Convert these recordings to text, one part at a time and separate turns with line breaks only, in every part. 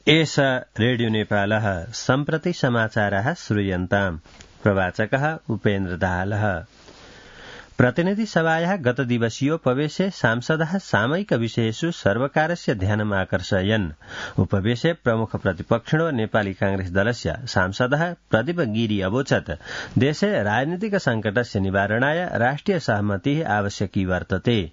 एष रेडियो नेपालः सम्प्रति समाचारः श्रूयन्ताम्। प्रवाचकः उपेन्द्र दाहालः। प्रतिनिधि सभायाः गतदिवसीयोपवेशे सांसदः सामयिक विषयेषु सर्वकारस्य ध्यानम् आकर्षयन्। उपवेशे प्रमुख प्रतिपक्षिणो नेपाली कांग्रेस दलस्य सांसदः प्रदीप गिरी अवोचत् देशे राजनीतिक संकटस्य निवारणाय राष्ट्रिय सहमतिः आवश्यकी वर्तते।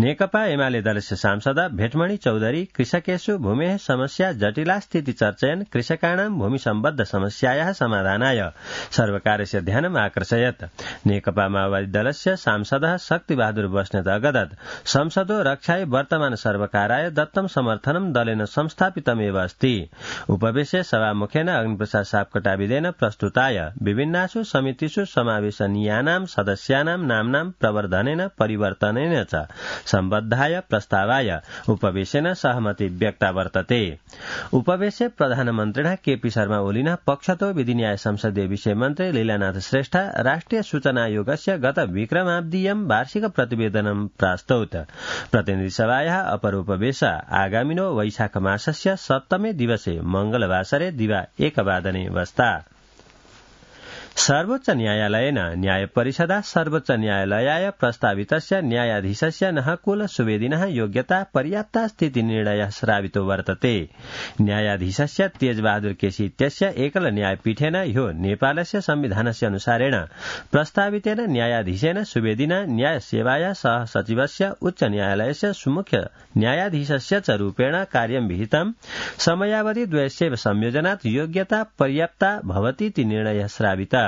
नेकपा एमाले दलस्य सांसद भेटमणि चौधरी कृषकेषु भूमेः समस्या जटिला स्थिति चर्चयन् कृषकाणां भूमि सम्बद्ध समस्यायाः समाधानाय सर्वकारस्य ध्यानम् आकर्षयत्। नेकपा माओवादी दलस्य सांसदः शक्तिबहादुर बस्नेत अगदत् संसदो रक्षाय वर्तमान सर्वकाराय दत्तं समर्थनं दलेन संस्थापितमेव अस्ति। उपवेशे सभामुखेन अग्निप्रसाद सापकोटाविदेन प्रस्तुताय विभिन्नासु समितिषु समावेशनीयानां सदस्यानां नाम्नां प्रवर्धनेन परिवर्तनेन च सम्बद्धाय प्रस्तावाय उपवेशेन सहमति व्यक्ता वर्तते। उपवेशे प्रधानमन्त्रिणः केपी शर्मा ओलिनः पक्षतो विधिन्याय संसदीय विषय मन्त्री लीलानाथ श्रेष्ठ राष्ट्रिय सूचना आयोगस्य गत विक्रमाब्दीयं वार्षिक प्रतिवेदनं प्रास्तौत। प्रतिनिधि सभायाः अपर उपवेश आगामिनो वैशाख मासस्य 7मे दिवसे मंगलवासरे दिवा 1 बस्ता। सर्वोच्च न्यायालयेन न्याय परिषदा सर्वोच्च न्यायालयाय प्रस्तावितस्य न्यायाधीशस्य नहकुल सुवेदिनः योग्यता पर्याप्ता स्थिति निर्णयः श्रावितो वर्तते। न्यायाधीशस्य तेजबहादुर केसी इत्यस्य एकल न्यायपीठेन ह्यो नेपालस्य संविधानस्य अनुसारेण प्रस्तावितेन न्यायाधीशेन सुवेदिना न्याय सेवाया सह सचिवस्य उच्च न्यायालयस्य सुमुख्य न्यायाधीशस्य च रूपेण कार्यं विहितं। समयावधि द्वयस्य संयोजनात् योग्यता पर्याप्ता भवतीति निर्णयः श्रावितः।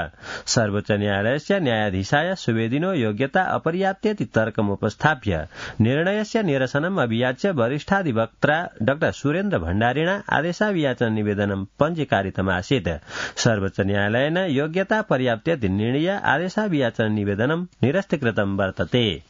सर्वोच्च न्यायालयस्य न्यायाधीशाय सुवेदिनो योग्यता अपर्याप्तेति तर्कमुपस्थाप्य निर्णयस्य निरसनम् अभियाच्य वरिष्ठाधिवक्ता डॉ सुरेन्द्र भण्डारिणा आदेशाभियाचन निवेदनं पञ्जीकारितमासीत्। सर्वोच्च न्यायालयेन योग्यता पर्याप्तेति निर्णय आदेशाभियाचन निवेदनं निरस्तीकृतं वर्तते।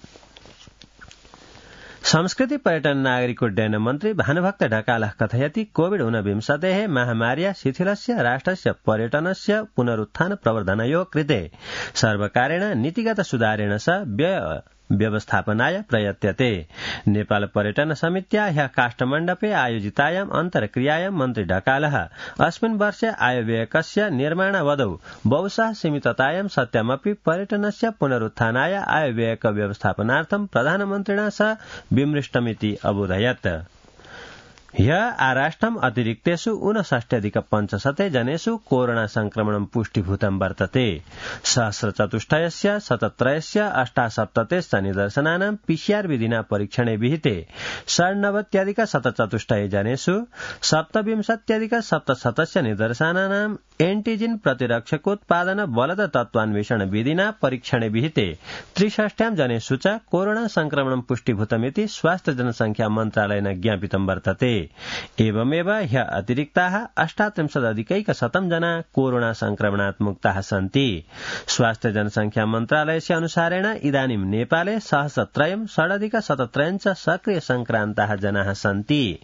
संस्कृति पर्यटन नागरिक उड्डयन मन्त्री भानुभक्त ढकालः कथयति कोविड-19 महामार्या शिथिलस्य राष्ट्रस्य पर्यटनस्य पुनरुत्थान प्रवर्धनयोः कृते सर्वकारेण नीतिगत सुधारेण स व्यय व्यवस्थापनाय प्रयत्यते। नेपाल पर्यटन समित्या ह्यः काष्ठमण्डपे आयोजितायाम् अन्तर्क्रियायां मन्त्री ढकालः अस्मिन् वर्षे आयव्ययकस्य निर्माणावधौ बहुशः सीमिततायां सत्यमपि पर्यटनस्य पुनरुत्थानाय आयव्ययक व्यवस्थापनार्थं प्रधानमन्त्रिणा सह विमृष्टमिति अबोधयत्। ह्यः आराष्ट्रम् अतिरिक्तेषु 59,500 जनेषु कोरोना संक्रमणं पुष्टिभूतं वर्तते। सहस्रचतुष्टयस्य 77 अष्टासप्ततेश्च निदर्शनानां पीसीआर विधिना परीक्षणे विहिते 98,174 जनेषु 27,700 निदर्शनानां एंटीजिन प्रतिरक्षकोत्पादन बलद तत्वान्वेषण विधिना परीक्षणे विहिते 63 जनेषु च कोरोना संक्रमणं पुष्टिभूतमिति स्वास्थ्य जनसंख्या मन्त्रालयेन ज्ञापितं वर्तते। एवमेव ह्यः अतिरिक्ताः 38,100 जना कोरोना संक्रमणात् मुक्ताः सन्ति। स्वास्थ्य जनसंख्या मन्त्रालयस्य अनुसारेण इदानीं नेपाले सहस्रत्रयं षडधिकशतत्रयं च सक्रिय संक्रान्ताः जनाः सन्ति।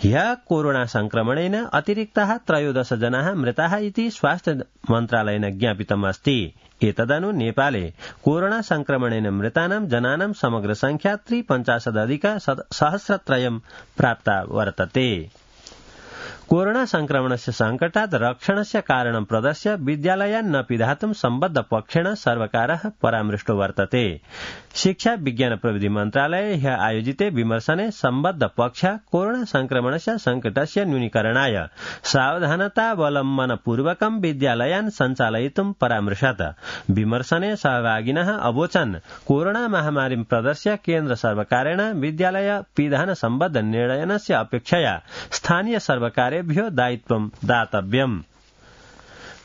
ह्यः कोरोना संक्रमणेन अतिरिक्ताः 13 जनाः मृताः इति स्वास्थ्य मन्त्रालयेन ज्ञापितम् अस्ति। एतदनु नेपाले कोरोना संक्रमणेन मृतानां जनानां समग्र संख्या 53,अधिकसहस्रत्रयं प्राप्ता वर्तते। कोरोना संक्रमणस्य संकटात् रक्षणस्य कारणं प्रदर्श्य विद्यालयान् न पिधातुं सम्बद्ध पक्षेण सर्वकारः परामृष्टो वर्तते। शिक्षा विज्ञान प्रविधि मन्त्रालये ह्यः आयोजिते विमर्शने सम्बद्ध पक्षः कोरोना संक्रमणस्य संकटस्य न्यूनीकरणाय सावधानतावलम्बनपूर्वकं विद्यालयान् सञ्चालयितुं परामृशत्। विमर्शने सहभागिनः अवोचन् कोरोना महामारीं प्रदर्श्य केन्द्र सर्वकारेण विद्यालय पिधान सम्बद्ध निर्णयनस्य अपेक्षया स्थानीय सर्वकारेभ्यो दायित्वं दातव्यम्।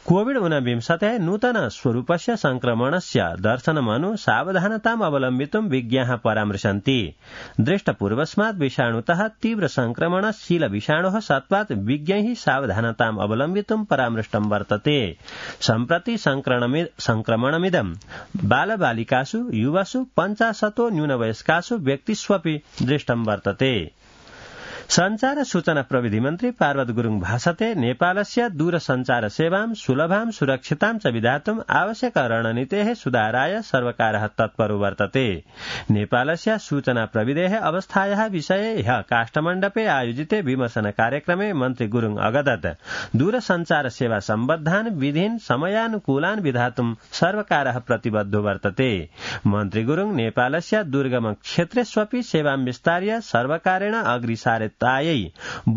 कोविड-19 नूतन स्वरूपस्य संक्रमणस्य दर्शनमनु सावधानताम् अवलम्बितुं विज्ञाः परामृशन्ति। दृष्टपूर्वस्मात् विषाणुतः तीव्र संक्रमणशील विषाणोः सत्त्वात् विज्ञैः सावधानताम् अवलम्बितुं परामृष्टं वर्तते। सम्प्रति संक्रमणमिदं बालबालिकासु युवसु 50 न्यूनवयस्कासु व्यक्तिष्वपि दृष्टं वर्तते। संचार सूचना प्रविधि मन्त्री पार्वत गुरुङ भाषते नेपालस्य दूरसञ्चार सेवां सुलभां सुरक्षितां च विधातुम् आवश्यक रणनीतेः सुधाराय सर्वकारः तत्परो वर्तते। नेपालस्य सूचना प्रविधेः अवस्थायाः विषये ह्यः काष्ठमण्डपे आयोजिते विमर्शन कार्यक्रमे मन्त्री गुरुङ अगदत् दूरसञ्चार सेवा सम्बद्धान् विधीन् समयानुकूलान् विधातुम् सर्वकारः प्रतिबद्धो वर्तते। मन्त्री गुरुङ नेपालस्य दुर्गम क्षेत्रेष्वपि सेवां विस्तार्य सर्वकारेण अग्रिसारितायै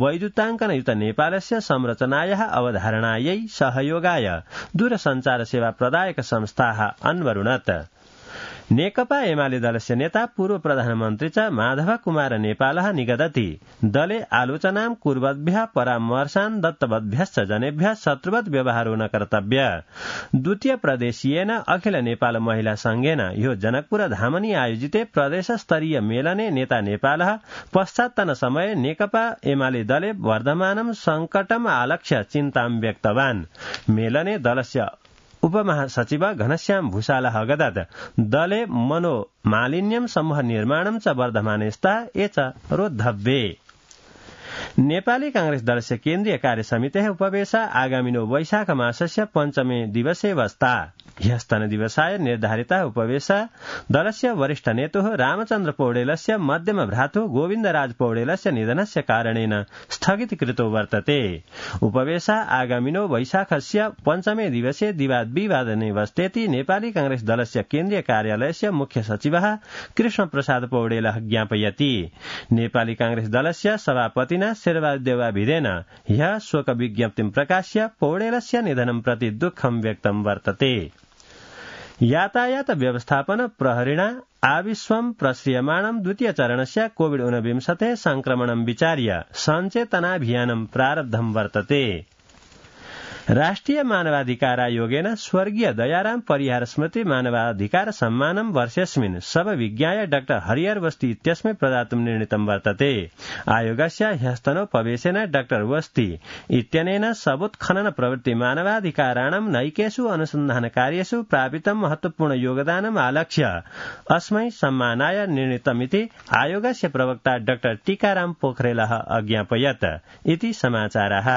वैद्युताङ्कनयुत नेपालस्य संरचनायाः अवधारणायै सहयोगाय दूरसञ्चार सेवा प्रदायक संस्थाः अन्वरुणत्। नेकपा एमाले दलस्य नेता पूर्व प्रधानमन्त्री च माधव कुमार नेपालः निगदति दले आलोचनां कुर्वद्भ्यः परामर्शान् दत्तवद्भ्यश्च जनेभ्यः शत्रुवत् व्यवहारो न कर्तव्य। द्वितीय प्रदेशीयेन अखिल नेपाल महिला संघेन ह्यो जनकपुर धामनि आयोजिते प्रदेशस्तरीय मेलने नेता नेपालः पश्चात्तन समये नेकपा एमाले दले वर्धमानं संकटम् आलक्ष्य चिन्तां व्यक्तवान्। मेलने दलस्य उपमहासचिव घनश्याम भूषालः अगदत् दले मनोमालिन्यं समूह निर्माणं च वर्धमाने स्तः एच रोद्धव्ये। नेपाली कांग्रेस दलस्य केन्द्रीय कार्यसमितेः उपवेशा आगामिनो वैशाख मासस्य पञ्चमे दिवसे वस्ता। ह्यस्तन दिवसाय निर्धारितः उपवेशा दलस्य वरिष्ठ नेतुः रामचन्द्र पौडेलस्य मध्यम भ्रातुः गोविन्दराज पौडेलस्य निधनस्य कारणेन स्थगितीकृतो वर्तते। उपवेशा आगामिनो वैशाखस्य पञ्चमे दिवसे दिवादने वस्तेति नेपाली कांग्रेस दलस्य केन्द्रीय कार्यालयस्य मुख्य सचिवः कृष्णप्रसाद पौडेलः ज्ञापयति। नेपाली कांग्रेस दलस्य सभापतिना शेरबहादुरदेवाभिधेन ह्यः शोक विज्ञप्तिं प्रकाश्य पौडेलस्य निधनं प्रति दुःखं व्यक्तं वर्तते। यातायात व्यवस्थापन प्रहरिणा आविश्वं प्रश्रियमाणं द्वितीय चरणस्य कोविड-19 संक्रमणं विचार्य सञ्चेतनाभियानं प्रारब्धं वर्तते। राष्ट्रिय मानवाधिकार आयोगेन स्वर्गीय दयाराम परिहार स्मृति मानवाधिकार सम्मानं वर्षेऽस्मिन् सबविज्ञाय डॉ हरिहर वस्ती इत्यस्मै प्रदातुं निर्णीतं वर्तते। आयोगस्य ह्यस्तनोपवेशेन डॉ वस्ती इत्यनेन सबोत्खनन प्रवृत्ति मानवाधिकाराणां नैकेषु अनुसन्धानकार्येषु प्रापितं महत्वपूर्ण योगदानम् आलक्ष्य अस्मै सम्मानाय निर्णीतमिति आयोगस्य प्रवक्ता डॉ टीकाराम पोखरेलः अज्ञापयत् इति समाचारः।